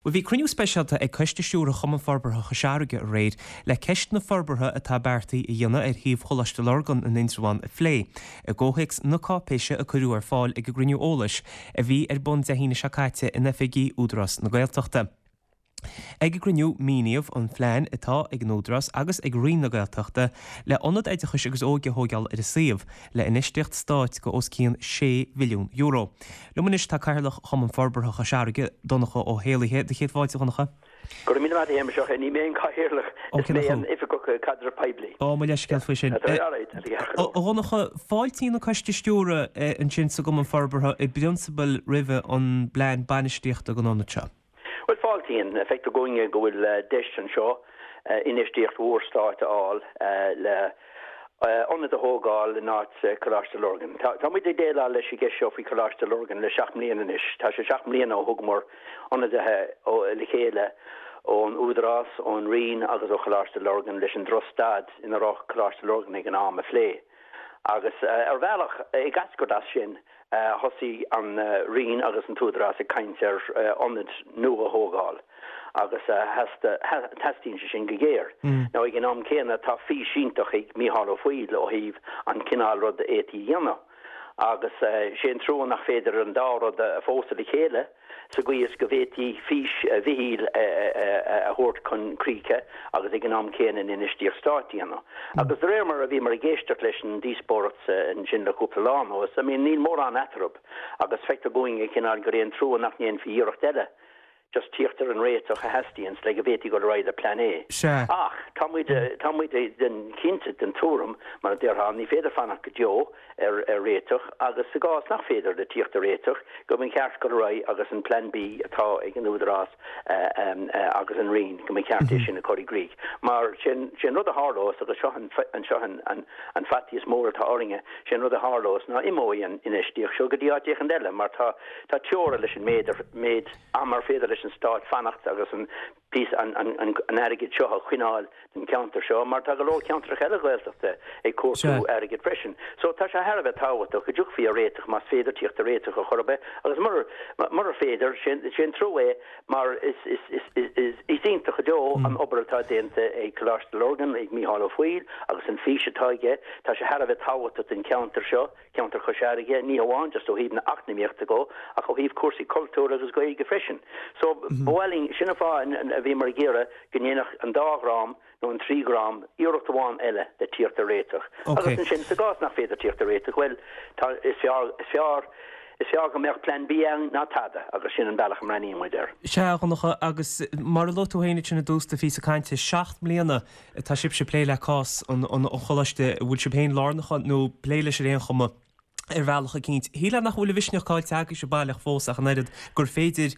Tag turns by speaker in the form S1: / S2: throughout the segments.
S1: Bhuel, bhí cruinniú speisialta ag Coiste Stiúrtha Chumann Forbartha Chois Fharraige aréir le ceist na forbartha atá beartaithe a dhéanamh ar shuíomh Choláiste Lurgan in Indreabhán a phlé, i gcomhthéacs na cáipéise a cuireadh ar fáil ag an gcruinniú eolais a bhí ar bun Dé hAoine seo caite in oifigí Údarás na Gaeltachta. Ag an gcruinniú, míníodh an phlean atá ag an Údarás agus ag Roinn na Gaeltachta le ionad oideachais agus óige a thóigeáil ar an suíomh, le infheistíocht stáit go os cionn €6 mhilliún. Liom anois tá Cathaoirleach Chumann Forbartha Chois Fharraige, Donncha Ó hÉallaithe. Do chéad fáilte, a Dhonncha.
S2: Go raibh míle maith agat, a Shéamais. Ní mé an Cathaoirleach, is mé an Oifigeach Caidrimh Poiblí.
S1: Ó, mo leithscéal faoi sin. A Dhonncha, fáiltíonn an Coiste Stiúrtha ansin sa gCumann Forbartha i bprionsabal roimhe an bplean bainistíochta don ionad seo.
S2: Bhuel, fáiltíonn. Feictear dúinne go bhfuil deis anseo infheistíocht mhór stáit a fháil le ionad a thógáil in áit Coláiste Lurgan. Tá muid ag déileáil leis an gceist seo faoi Choláiste Lurgan le 7 mbliana anois. Tá sé 7 mbliana ó thugamar ionadaithe le chéile ón Údarás, ón Roinn agus ó Choláiste Lurgan leis an drochstaid ina raibh Coláiste Lurgan ag an am a phlé. Agus ar bhealach, ag eascairt as sin, thosaigh an Roinn agus an tÚdarás ag caint ar ionad nua a thógáil agus teastaíonn sé sin go géar. Now ag an am céanna tá fís iontach ag Mícheál Ó Foighil ó thaobh an cineál rud a fhéadfaí a dhéanamh agus sé an trua nach féidir an dá rud a phósadh le chéile. sa gcaoi is go bhféadfaí fís Mhichíl a thabhairt chun críche agus ag an am céanna an infheistíocht stáit a dhéanamh. Agus de réir mar a bhíomar ag éisteacht leis an díospóireacht ansin le cúpla lá anuas, I mean níl mórán eatarthu agus feictear dúinn cineál gur é an trua nach ndéanfaí iarracht eile just tíocht ar an réiteach a theastaíonns le go bhféadfaí dul ar aghaidh le Plean A.
S1: Sea.
S2: Ach tá muid, tá muid den, cinnte den tuairim, mar a déarfá, ní féidir fanacht go deo ar réiteach agus sa gcás nach féidir le tíocht ar réiteach, go mba cheart dul ar aghaidh agus an Plean B atá ag an Údarás agus an Roinn, go mba cheart é sin a chur i gcrích. Mar sé an rud a tharlós, agus seo an an faitíos mór atá orainne, sé an rud a tharlós ná imeoidh an infheistíocht seo go dtí áit éicint eile mar tá tá teora leis an méid méid ama ar féidir leis an Stát fanacht agus an píosa an airgid seo a choinneáil don cheantar seo mar tá go leor ceantracha eile Gaeltachta ag cuartú airgid freisin. So tá sé thar a bheith tábhachtach go dtiocfaí ar réiteach más féidir tíocht ar réiteach ar chor ar bith agus murar murar féidir, sé an trua é mar is is is iontach go deo an obair atá déanta ag Coláiste Lurgan, ag Mícheál Ó Foighil agus an fís atá aige. Tá sé thar a bheith tábhachtach don cheantar seo. ceantar Chois Fharraige, ní hamháin just ó thaobh na eacnamaíochta dhó, ach ó thaobh cúrsaí cultúir agus Gaeilge freisin. So, ba mhaith linn, sin an fáth a bhíomar ag iarraidh go ndéanfadh an dá dhream nó an trí dhream iarracht amháin eile le tíocht ar réiteach. Agus ansin, sa gcás nach féidir tíocht ar réiteach, bhuel, tá, is fearr, is fearr, is fearr go mbeadh Plean B ann ná tada, agus sin an bealach a mbreathnaíonn muid air.
S1: Sea, a Dhonncha, agus mar a luaigh tú féin ansin i dtús do phíosa cainte, 7 mbliana Tá sibhse ag plé le cás an choláiste, an bhfuil sibh féin lárnach ann nó ag plé leis ar aon chuma ar bhealach eicínt. Shílfeá nach bhfuil an mhisneach caillte agaibhse baileach fós ach an oiread gur féidir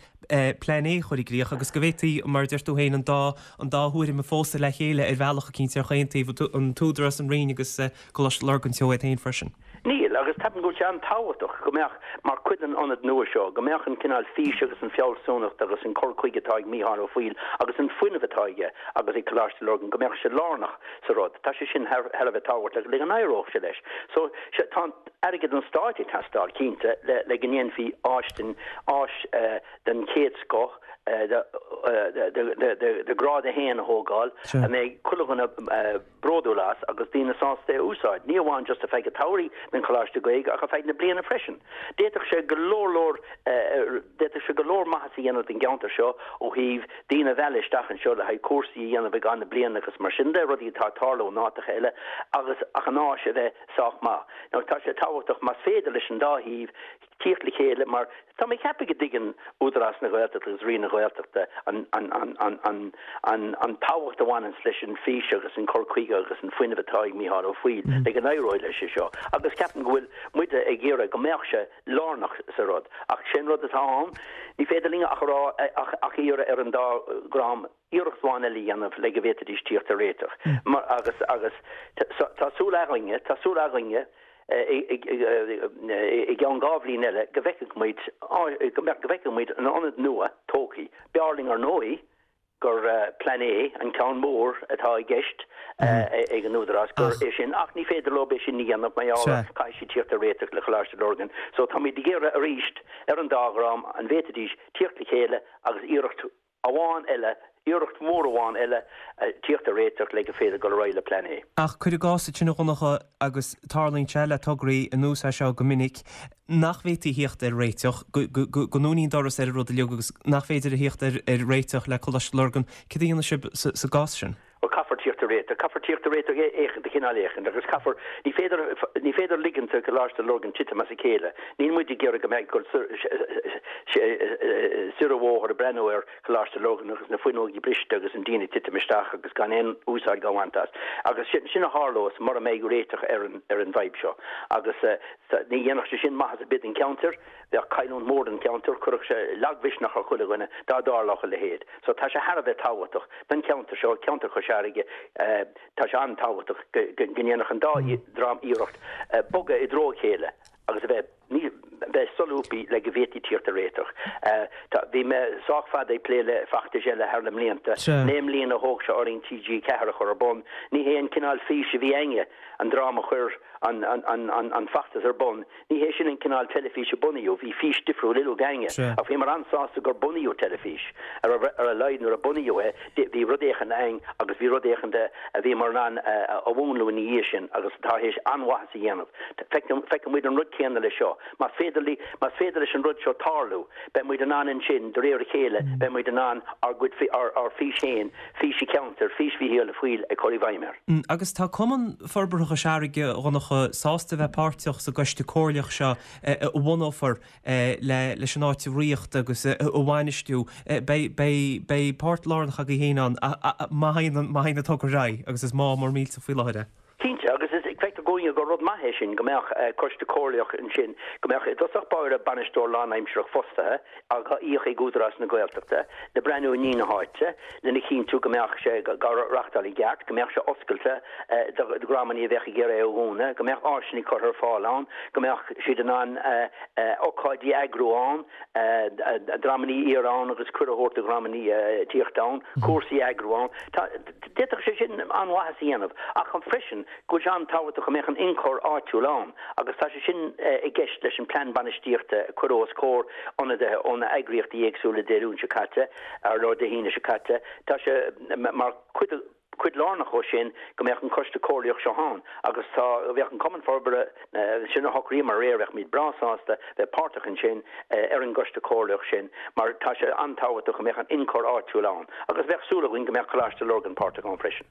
S1: Plean A a chur i gcrích agus go bhféadfaí, mar a deir tú féin, an dá an dá thuairim a phósadh le chéile ar bhealach eicínt ar chaon taobh, an tÚdarás, an Roinn agus Coláiste Lurgan Teo iad féin freisin.
S2: Níl, agus ceapaim go bhfuil sé an-tábhachtach go mbeadh, mar chuid den ionad nua seo, go mbeadh an cineál fís agus an fealsúnacht agus an cur chuige atá ag Mícheál Ó Foighil agus an fuinneamh atá aige agus ag Coláiste Lurgan, go mbeadh sé lárnach sa rud. Tá sé sin thar a bheith tábhachtach le go n-éireodh sé leis. So, tá airgead an stáit ag teastáil, cinnte, le le go ndéanfaí áis den áis den chéad scoth de de de grád a haon a thógáil a mbeidh chuile dhuine bródúil as agus daoine sásta é a úsáid, ní amháin just ar feadh an tsamhraidh don Choláiste Gaeilge ach ar feadh na bliana freisin. D'fhéadfadh sé go leor leor d'fhéadfadh sé go leor maitheas a dhéanamh don gceantar seo ó thaobh daoine a mhealladh isteach anseo le haghaidh cúrsaí a dhéanamh i gcaitheamh na bliana agus mar sin de, rudaí atá ag tarlú in áiteacha eile agus ach an áis a bheith sách maith. Now tá sé tábhachtach más féidir leis an dá thaobh tíocht le chéile mar tá mé ag ceapadh go dtuigeann Údarás na Gaeltachta agus Roinn na Gaeltachta an an tábhacht a bhaineanns leis an fís agus an cur chuige agus an fuinneamh atá ag Mícheál Ó Foighil le go n-éireoidh leis seo agus ceapaim go bhfuil muide ag iarraidh go mbeadh sé lárnach sa rud ach sé an rud atá ann ní féidir linn ach a rá ach iarraidh ar an dá dhream iarracht amháin eile a dhéanamh le go bhféadfaidís tíocht ar réiteach. Mar, agus, agus, tá súil againne, tá súil againne i gceann 2 bhliain eile go bhfeicfidh muid, go mbeadh, go bhfeicfidh muid an ionad nua tógtha. B'fhearr linn ar ndóigh gur Plean A, an ceann mór atá i gceist ag an Údarás, gur é sin, ach ní féidir leo é sin a dhéanamh mar gheall ar, caithfidh siad tíocht ar réiteach le Coláiste Lurgan. So táimid ag iarraidh arís ar an dá dhream an bhféadfaidís tíocht le chéile agus iarracht. amháin eile, iarracht mhór amháin eile tíocht ar réiteach le gur féidir dul ar aghaidh le Plean A.
S1: Ach cuir i gcás ansin a Dhonncha, agus tarlaíonn sé le tograí ar nós é seo go minic, nach bhféadfaí a thíocht ar réiteach, go ndúnaí an doras ar an rud uilig agus nach féidir a thíocht ar réiteach le Coláiste Lurgan, céard a dhéanfaidh sibh sa gcás sin?
S2: Bhuel, caithfear tíocht ar réiteach. Caithfear tíocht ar réiteach éicint, de chineál éicint, agus caithfear, ní féidir, ní féidir ligint do Choláiste Lurgan titim as a chéile. Níl muid ag iarraidh go mbeidh dul soir an bhóthar ag breathnú ar Choláiste Lurgan agus na fuinneogaí briste agus an díon ag titim isteach agus gan aon úsáid á bhaint as. Agus sin, sin a tharlós mura mbeidh réiteach ar an, ar an bhfadhb seo. Agus ní dhéanfadh sé sin maitheas ar bith don cheantar. Bheadh cailliúint mhór don cheantar, chuirfeadh sé lagmhisneach ar chuile dhuine dá dtarlódh a leithéid. So tá sé thar a bheith tábhachtach don cheantar seo, ceantar Chois Fharraige, tá sé an-tábhachtach go ndéanfadh an dá dhream iarracht bogadh i dtreo a chéile agus a bheith bheith solúbtha le go bhféadfaí tíocht ar réiteach. Tá, bhí mé sách fada ag plé le feachtais eile thar na mblianta. 9 mbliana a thóg sé orainn TG4 a chur ar bun. Ní hé an cineál físe a bhí againne, an dream a chuir an, an, an, an, an feachtas ar bun. Ní hé sin an cineál teilifíse a bunaíodh, bhí fís difriúil uilig againne. Ach bhíomar an-sásta gur bunaíodh teilifís. Ar a laghad nuair a bunaíodh é, bhí rud éicint againn agus bhí rud éicint a bhíomar in ann a mhúnlú ina dhiaidh sin agus atá théis an-mhaitheas a dhéanamh. Feicfidh muid an rud céanna leis seo. Más féidir más féidir leis an rud seo tarlú, beidh muid in ann ansin, de réir a chéile, beidh muid in ann ár gcuid, ár bhfís féin, fís an cheantair, fís Mhícheáil Uí Foighil a chur i bhfeidhm air.
S1: Agus tá Cumann Forbartha Chois Fharraige, a Dhonncha, sásta a bheith páirteach sa gcoiste comhairleach seo a bhunófar leis an áit a ritheacht agus a bhainistiú. Beidh páirt lárnach agaibh féin ann má théann an togra ar aghaidh agus is má mór millteach faoi láthair é.
S2: Cinnte, agus is feictear dúinne gur rud maith é sin go mbeadh coiste comhairleach ansin, go mbeadh i dtosach báire bainisteoir lánaimsearach fostaithe, á íoc ag Údarás na Gaeltachta, le breathnú i ndiaidh na háite, lena chinntiú go mbeadh sé á reachtáil i gceart, go mbeadh sé oscailte do dhreamanna a bheadh ag iarraidh é a dhúnadh, go mbeadh áiseanna curtha ar fáil ann, go mbeadh siad in ann ócáidí a eagrú ann, dreamanna a iarraidh ann agus cuireadh a thabhairt do dhreamanna tíocht ann, cúrsaí a eagrú ann. Tá. D'fhéadfadh sé sin an-mhaitheas a dhéanamh, ach freisin go bhfuil sé an-tábhachtach go mbeadh an ionchur áitiúil ann agus tá sé sin i gceist leis an plean bainistíochta a cuireadh os comhair ionadaithe ó na eagraíochtaí éagsúla Dé Luain seo caite, nó Dé hAoine seo caite. Tá sé mar chuid cuid lárnach dhó sin go mbeadh an coiste comhairleach seo ann agus tá bheadh an Cumann Forbartha Sin a shocraíomar aréir, bheadh muid breá sásta bheith páirteach ansin ar an gcoiste comhairleach sin mar tá sé an-tábhachtach go mbeadh an ionchur áitiúil ann agus bheadh súil againn go mbeadh Coláiste Lurgan páirteach ann freisin.